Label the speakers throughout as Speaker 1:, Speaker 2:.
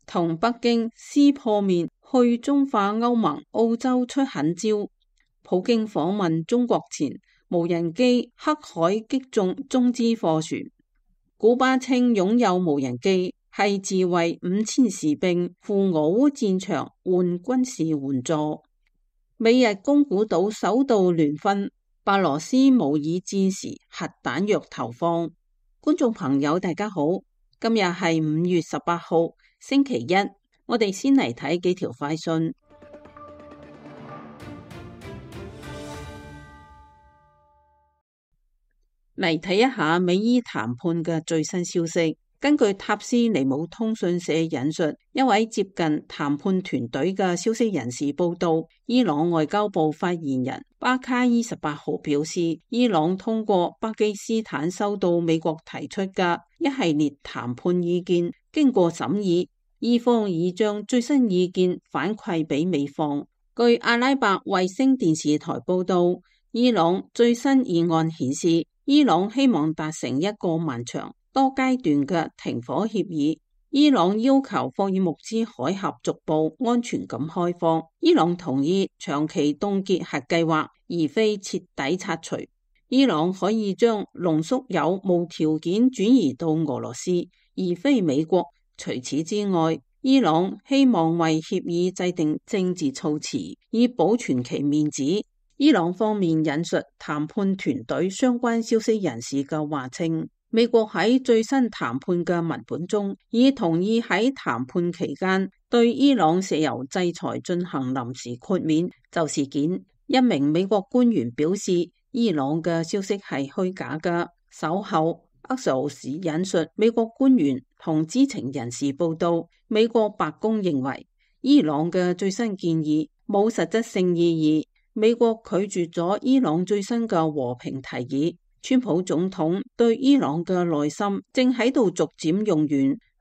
Speaker 1: 同北京撕破面去中化歐盟、澳洲出狠招。普京訪問中國前，無人機黑海擊中中資貨船。古巴稱擁有無人機，係自衛5000士兵赴俄烏戰場換軍事援助。美日宮古島首度聯婚，白羅斯模擬戰時核彈藥投放。觀眾朋友大家好，今日係5月18號星期一，我哋先嚟睇幾條快訊。嚟睇一下美伊談判嘅最新消息。根據塔斯尼姆通訊社引述一位接近談判團隊嘅消息人士報道，伊朗外交部發言人巴卡伊18號表示，伊朗通過巴基斯坦收到美國提出嘅一系列談判意見，經過審議，伊方已將最新意見反饋俾美方。據阿拉伯衛星電視台報道，伊朗最新議案顯示，伊朗希望達成一個漫長多階段嘅停火協議。伊朗要求霍爾木茲海峽逐步安全咁開放。伊朗同意長期凍結核計劃，而非徹底拆除。伊朗可以將濃縮鈾無條件轉移到俄羅斯，而非美國。除此之外，伊朗希望為協議制定政治措辭，以保存其面子。伊朗方面引述談判團隊相關消息人士嘅話稱，美國喺最新談判嘅文本中已同意喺談判期間對伊朗石油制裁進行臨時豁免。就事件，一名美國官員表示，伊朗嘅消息係虛假嘅。稍後，阿什奧斯引述美國官員同知情人士報道，美國白宮認為伊朗嘅最新建議冇實質性意義。美國拒絕咗伊朗最新嘅和平提議。川普總統對伊朗嘅耐心正喺度逐漸用完。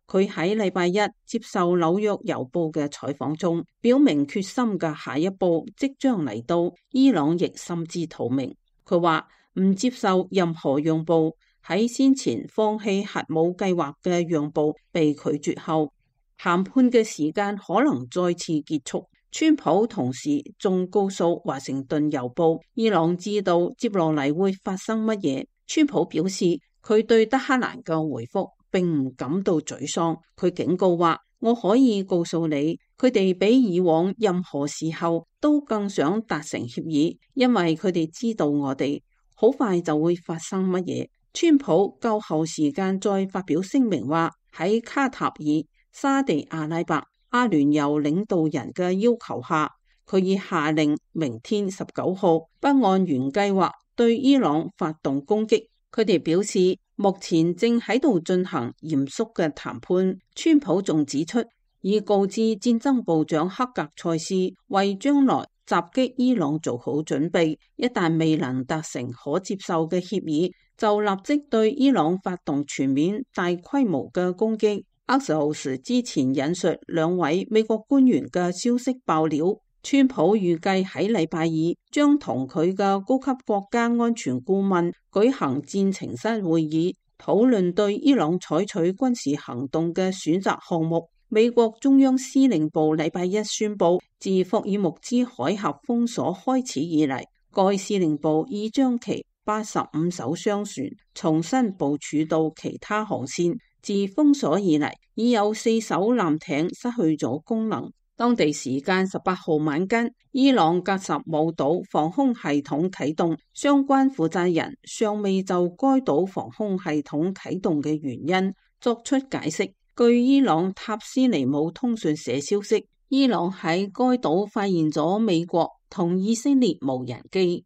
Speaker 1: 佢喺禮拜一接受紐約郵報嘅採訪中，表明決心嘅下一步即將嚟到。伊朗亦心知肚明。佢話唔接受任何讓步。喺先前放棄核武計劃嘅讓步被拒絕後，談判嘅時間可能再次結束。川普同時仲告訴華盛頓郵報，伊朗知道接落嚟會發生乜嘢。川普表示，佢對德黑蘭嘅回覆並唔感到沮喪。佢警告話，我可以告訴你，佢哋比以往任何時候都更想達成協議，因為佢哋知道我哋好快就會發生乜嘢。川普較後時間再發表聲明話，喺卡塔爾、沙地阿拉伯、阿聯酋領導人嘅要求下，佢已下令明天19號不按原計劃對伊朗發動攻擊。佢哋表示，目前正喺度進行嚴肅嘅談判。川普仲指出，已告知戰爭部長克格塞斯為將來襲擊伊朗做好準備，一旦未能達成可接受嘅協議，就立即對伊朗發動全面大規模嘅攻擊。阿什奧斯之前引述兩位美國官員嘅消息爆料，川普預計喺禮拜二將同佢嘅高級國家安全顧問舉行戰情室會議，討論對伊朗採取軍事行動嘅選擇項目。美國中央司令部禮拜一宣布，自霍爾木茲海峽封鎖開始以嚟，該司令部已將其85艘商船重新部署到其他航線。自封鎖以嚟，已有4艘艦艇失去咗功能。當地時間18號晚間，伊朗格什姆島防空系統啟動，相關負責人尚未就該島防空系統啟動嘅原因作出解釋。據伊朗塔斯尼姆通訊社消息，伊朗喺該島發現咗美國同以色列無人機。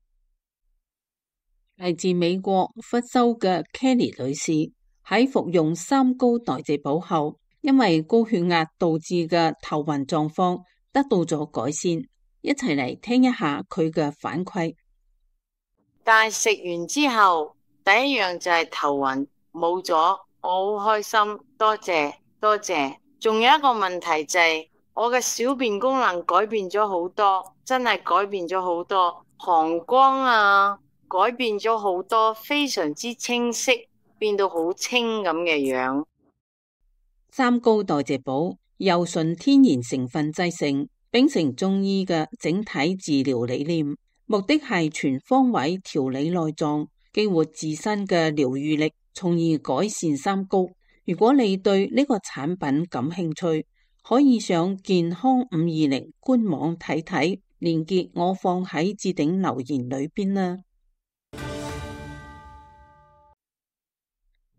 Speaker 1: 嚟自美國佛州嘅 Kelly 女士喺服用三高代謝寶後，因為高血壓導致嘅頭暈狀況得到咗改善。一齊嚟聽一下佢嘅反饋。
Speaker 2: 但係食完之後，第一樣就係頭暈冇咗，我好開心，多謝多謝。仲有一個問題就係我嘅小便功能改變咗好多，真係改變咗好多，膀胱啊改變咗好多，非常之清晰，變到好清咁嘅樣。
Speaker 1: 三高代謝寶由純天然成分製成，秉承中醫嘅整體治療理念，目的係全方位調理內臟，激活自身嘅療癒力，從而改善三高。如果你對呢個產品感興趣，可以上健康520官網睇睇，連結我放喺置頂留言裏邊啦。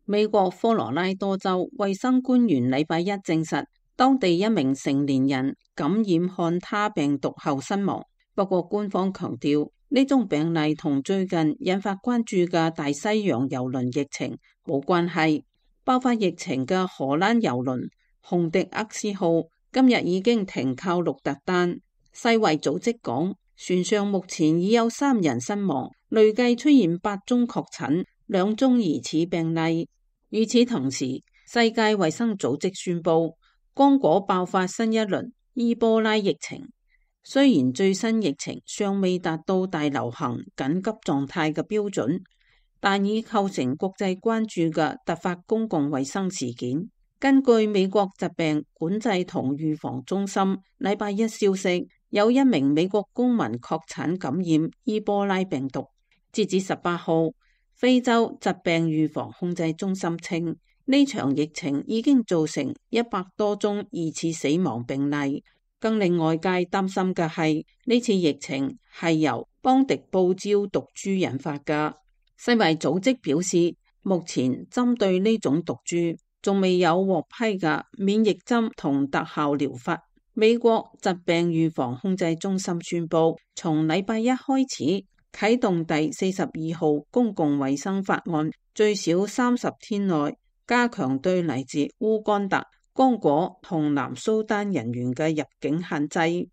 Speaker 1: 美國科羅拉多州衛生官員禮拜一證實，當地一名成年人感染漢他病毒後身亡。不過官方強調，呢宗病例同最近引發關注嘅大西洋郵輪疫情冇關係。爆發疫情嘅荷蘭郵輪洪迪厄斯號今日已經停靠鹿特丹。世衛組織講，船上目前已有3人身亡，累計出現8宗確診，2宗疑似病例。與此同時，世界衛生組織宣布，剛果爆發新一輪伊波拉疫情。雖然最新疫情尚未達到大流行緊急狀態嘅標準，但已構成國際關注嘅突發公共衛生事件。根據美國疾病管制同預防中心禮拜一消息，有1名美國公民確診感染伊波拉病毒。截至18號，非洲疾病預防控制中心稱，呢場疫情已經造成100多宗疑似死亡病例。更令外界擔心嘅係，呢次疫情係由邦迪布礁毒株引發嘅。世衛組織表示，目前針對呢種毒株仲未有獲批嘅免疫針同特效療法。美國疾病預防控制中心宣布，從禮拜一開始啟動第42號公共衛生法案，最少30天內加強對嚟自烏干達、剛果同南蘇丹人員嘅入境限制。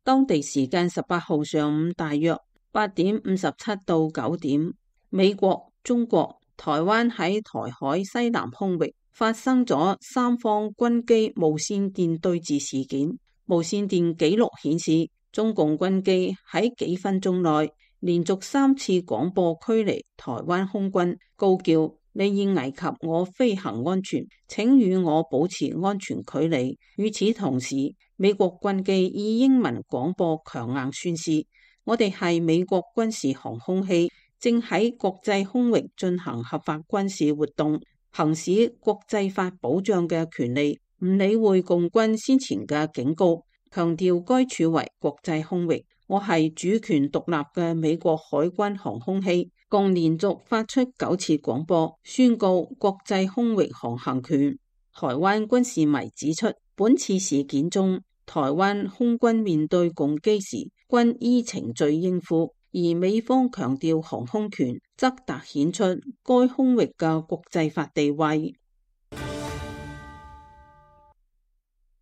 Speaker 1: 當地時間18號上午大約8點57到9點，美國、中國、台灣喺台海西南空域發生咗3方軍機無線電對峙事件。無線電記錄顯示，中共軍機喺幾分鐘內連續3次廣播驅離台灣空軍，高叫你已危及我飛行安全，請與我保持安全距離。與此同時，美國軍機以英文廣播強硬宣示，我哋係美國軍事航空器，正喺國際空域進行合法軍事活動，行使國際法保障嘅權利，唔理會共軍先前嘅警告，強調該處為國際空域。我係主權獨立嘅美國海軍航空器，共連續發出9次廣播，宣告國際空域航行權。台灣軍事迷指出，本次事件中，台灣空軍面對共機時，均依程序應付，而美方強調航空權，則凸顯出該空域嘅國際法地位。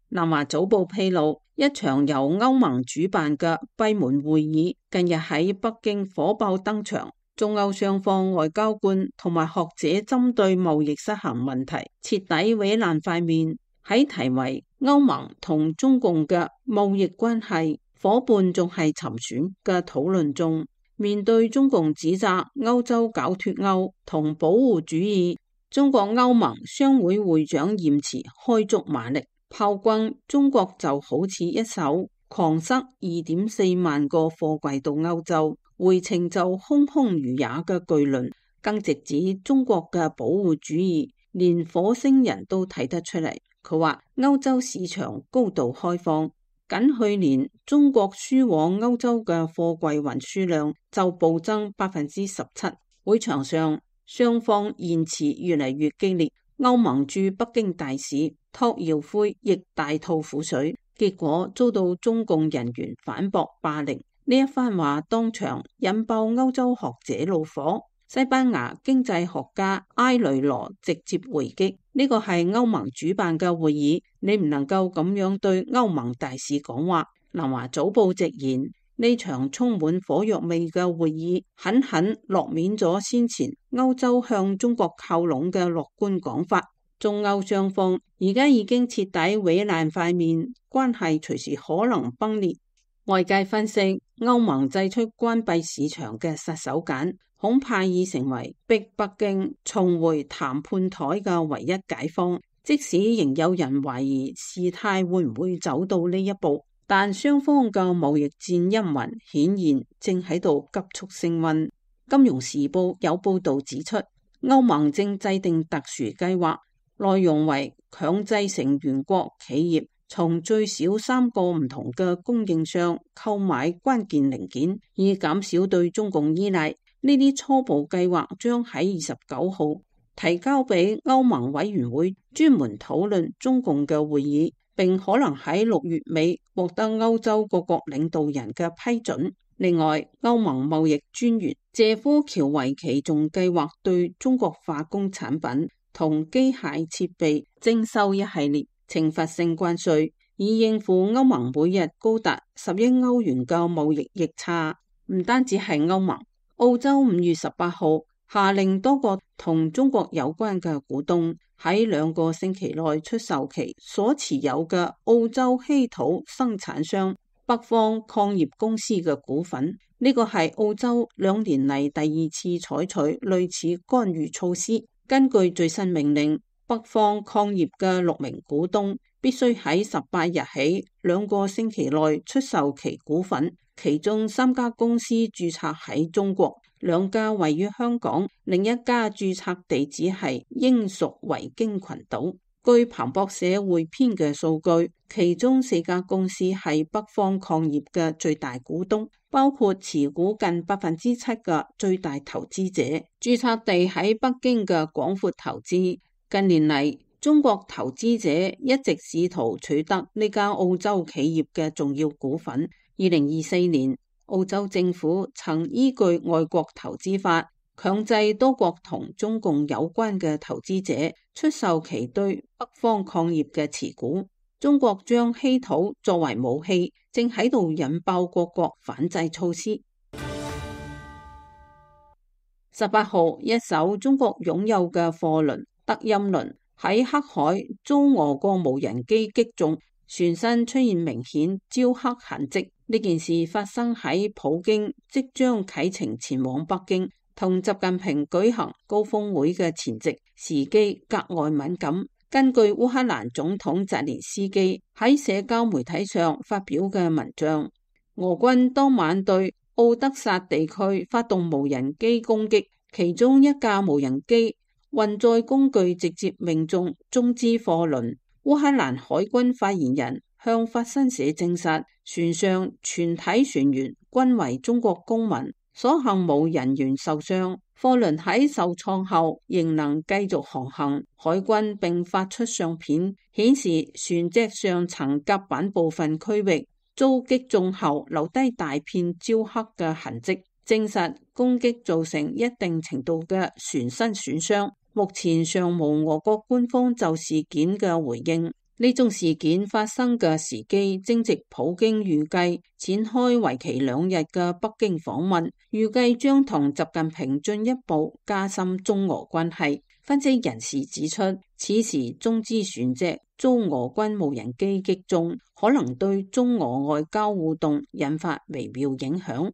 Speaker 1: 南華早報披露，一場由歐盟主辦嘅閉門會議近日喺北京火爆登場，中歐雙方外交官同埋學者針對貿易失衡問題徹底毀爛塊面。喺題為歐盟同中共嘅貿易關係伙伴仲係沉選嘅討論中，面對中共指責歐洲搞脫歐同保護主義，中國歐盟商會會長嚴持開足馬力炮轟中國，就好似一艘狂塞2.4萬個貨櫃到歐洲，回程就空空如也嘅巨輪，更直指中國嘅保護主義連火星人都睇得出嚟。佢話歐洲市場高度開放，僅去年中國輸往歐洲嘅貨櫃運輸量就暴增17%。會場上雙方言辭越嚟越激烈，歐盟駐北京大使托耀輝亦大吐苦水，結果遭到中共人員反駁霸凌。呢一番話當場引爆歐洲學者怒火。西班牙經濟學家埃雷羅直接回擊，呢個係歐盟主辦嘅會議，你唔能夠咁樣對歐盟大使講話。南華早報直言，呢場充滿火藥味嘅會議狠狠落面咗先前歐洲向中國靠攏嘅樂觀講法。中歐雙方而家已經徹底毀爛塊面，關係隨時可能崩裂。外界分析，歐盟祭出關閉市場嘅殺手鐧，恐怕已成為逼北京重回談判台嘅唯一解方。即使仍有人懷疑事態會唔會走到呢一步，但雙方嘅貿易戰陰雲顯然正喺度急速升溫。金融時報有報導指出，歐盟正制定特殊計劃，內容為強制成員國企業從最少3個唔同嘅供應商購買關鍵零件，以減少對中共依賴。呢啲初步計劃將喺29號提交俾歐盟委員會專門討論中共嘅會議，並可能喺6月尾獲得歐洲各國領導人嘅批准。另外，歐盟貿易專員謝夫喬維奇仲計劃對中國化工產品同機械設備徵收一系列懲罰性關稅，以應付歐盟每日高達10億歐元嘅貿易逆差。唔單止係歐盟，澳洲5月18號下令多個同中國有關嘅股東喺2個星期內出售其所持有嘅澳洲稀土生產商北方礦業公司嘅股份。呢個係澳洲2年嚟第2次採取類似干預措施。根據最新命令，北方礦業嘅6名股東必須喺18日起2個星期內出售其股份，其中3家公司註冊喺中國，2家位於香港，另一家註冊地址係英屬維京群島。據彭博社匯編嘅數據，其中4家公司係北方礦業嘅最大股東，包括持股近7%嘅最大投資者，註冊地喺北京嘅廣闊投資。近年嚟，中國投資者一直試圖取得呢家澳洲企業嘅重要股份。2024年，澳洲政府曾依據外國投資法強制多國同中共有關嘅投資者出售其對北方礦業嘅持股。中國將稀土作為武器，正喺度引爆各國反制措施。18號，一艘中國擁有嘅貨輪德音輪喺黑海遭俄國無人機擊中，船身出現明顯焦黑痕跡。呢件事發生喺普京即將啟程前往北京同習近平舉行高峰會嘅前夕，時機格外敏感。根據烏克蘭總統澤連斯基喺社交媒體上發表嘅文章，俄軍當晚對奧德薩地區發動無人機攻擊，其中一架無人機運載工具直接命中中資貨輪。烏克蘭海軍發言人向法新社證實，船上全體船員均為中國公民，所幸冇人員受傷。貨輪喺受創後仍能繼續航行。海軍並發出相片，顯示船隻上層甲板部分區域遭擊中後留低大片焦黑嘅痕跡，證實攻擊造成一定程度嘅船身損傷。目前尚無俄國官方就事件嘅回應。呢宗事件發生嘅時機正值普京預計展開為期2日嘅北京訪問，預計將同習近平進一步加深中俄關係。分析人士指出，此時中資船隻遭俄軍無人機擊中，可能對中俄外交互動引發微妙影響。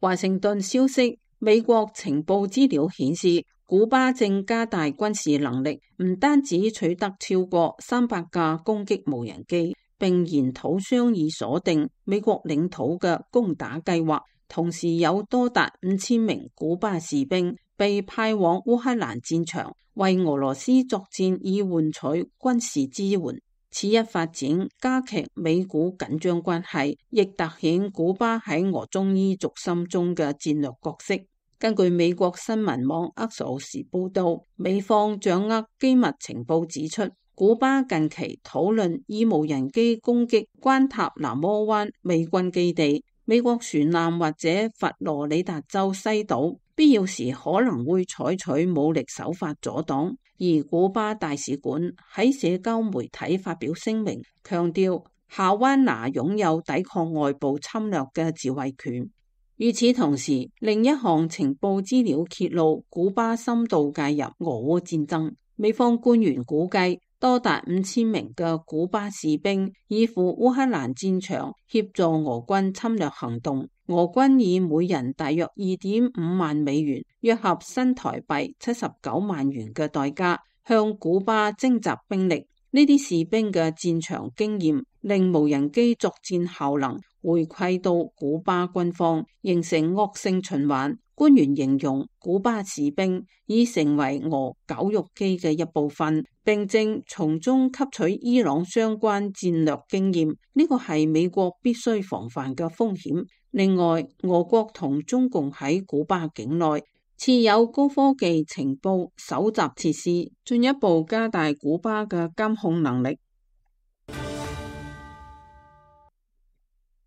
Speaker 1: 華盛頓消息，美國情報資料顯示，古巴正加大軍事能力，唔單止取得超過300架攻擊無人機，並研討商議鎖定美國領土嘅攻打計劃。同時有多達5000名古巴士兵被派往烏克蘭戰場，為俄羅斯作戰以換取軍事支援。此一發展加劇美古緊張關係，亦凸顯古巴喺俄中伊軸心中嘅戰略角色。根據美國新聞網 Axios 報道，美方掌握機密情報指出，古巴近期討論以無人機攻擊關塔那摩灣美軍基地、美國船艦或者佛羅里達州西島，必要時可能會採取武力手法阻擋。而古巴大使館喺社交媒體發表聲明，強調夏灣拿擁有抵抗外部侵略嘅自衛權。與此同時，另一項情報資料揭露，古巴深度介入俄烏戰爭。美方官員估計，多達5000名嘅古巴士兵依附烏克蘭戰場協助俄軍侵略行動。俄軍以每人大約2.5萬美元，約合新台幣79萬元嘅代價，向古巴徵集兵力。呢啲士兵嘅戰場經驗令無人機作戰效能回饋到古巴軍方，形成惡性循環。官員形容古巴士兵已成為俄絞肉機嘅一部分，並正從中吸取伊朗相關戰略經驗。呢個係美國必須防範嘅風險。另外，俄國同中共喺古巴境內設有高科技情報搜集設施，進一步加大古巴嘅監控能力。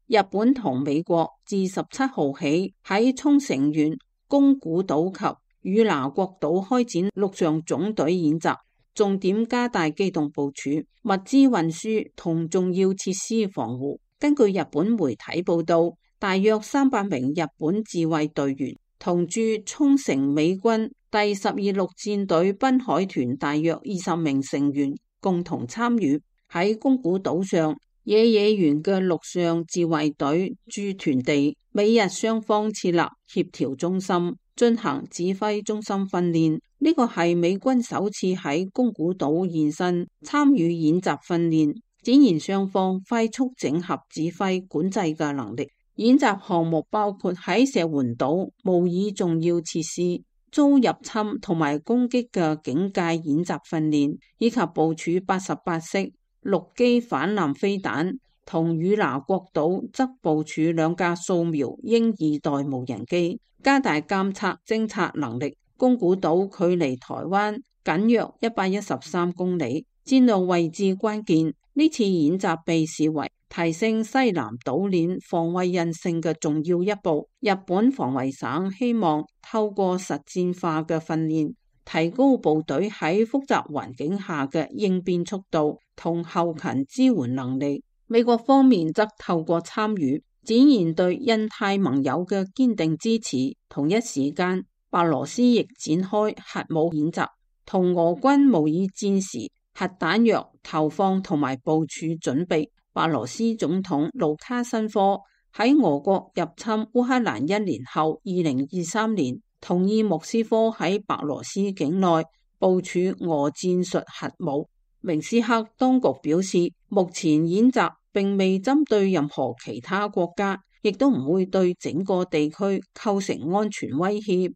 Speaker 1: 日本同美國自17號起喺沖繩縣、宮古島及與那國島開展陸上總隊演習，重點加大機動部署、物資運輸同重要設施防護。根據日本媒體報道，大約300名日本自衛隊員同駐沖繩美軍第12陸戰隊濱海團大約20名成員共同參與喺宮古島上野原嘅陸上自衛隊駐屯地，美日雙方設立協調中心，進行指揮中心訓練。呢個係美軍首次喺宮古島現身參與演習訓練，展現雙方快速整合指揮管制嘅能力。演習項目包括喺石垣島模擬重要設施遭入侵同埋攻擊嘅警戒演習訓練，以及部署88式陸基反艦飛彈，同與那國島則部署2架掃描鷹2代無人機，加大監測偵察能力。宮古島距離台灣僅約113公里，戰略位置關鍵。呢次演習被視為提升西南島鏈防衛韌性嘅重要一步。日本防衛省希望透過實戰化嘅訓練，提高部隊喺複雜環境下嘅應變速度同後勤支援能力。美國方面則透過參與，展現對印太盟友嘅堅定支持。同一時間，白羅斯亦展開核武演習，同俄軍模擬戰時核彈藥投放同埋部署準備。白羅斯總統盧卡申科喺俄國入侵烏克蘭1年後，2023年同意莫斯科喺白羅斯境內部署俄戰術核武。明斯克當局表示，目前演習並未針對任何其他國家，亦都唔會對整個地區構成安全威脅。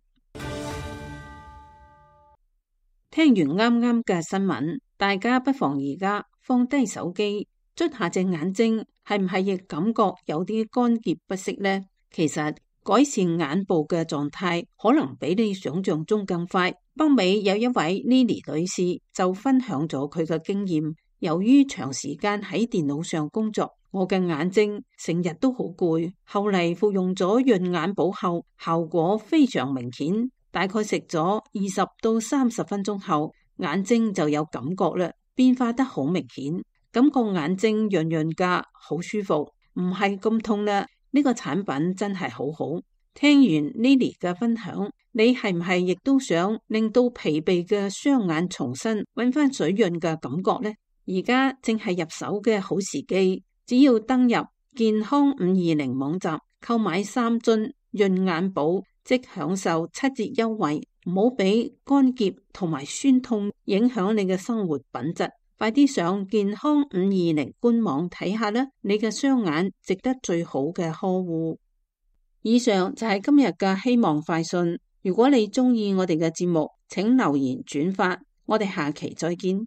Speaker 1: 聽完啱啱嘅新聞，大家不妨而家放低手機，捽下隻眼睛，係唔係亦感覺有啲乾澀不適呢？其實改善眼部嘅狀態可能比你想象中更快。北美有一位 Lily 女士就分享咗佢嘅經驗，由於長時間喺電腦上工作，我嘅眼睛成日都好攰，後嚟服用咗潤眼寶後，效果非常明顯，大概食咗20到30分鐘後，眼睛就有感覺啦，變化得好明顯，感覺眼睛潤潤噶，好舒服，唔係咁痛啦。呢個產品真係好好。聽完 Lily 嘅分享，你係唔係亦都想令到疲憊嘅雙眼重新搵翻水潤嘅感覺呢？而家正係入手嘅好時機，只要登入健康520網站購買3樽潤眼寶，即享受7折優惠。唔好俾乾澀同埋酸痛影響你嘅生活品質。快啲上健康520官網睇下啦，你嘅雙眼值得最好嘅呵護。以上就係今日嘅希望快訊。如果你中意我哋嘅節目，請留言轉發。我哋下期再見。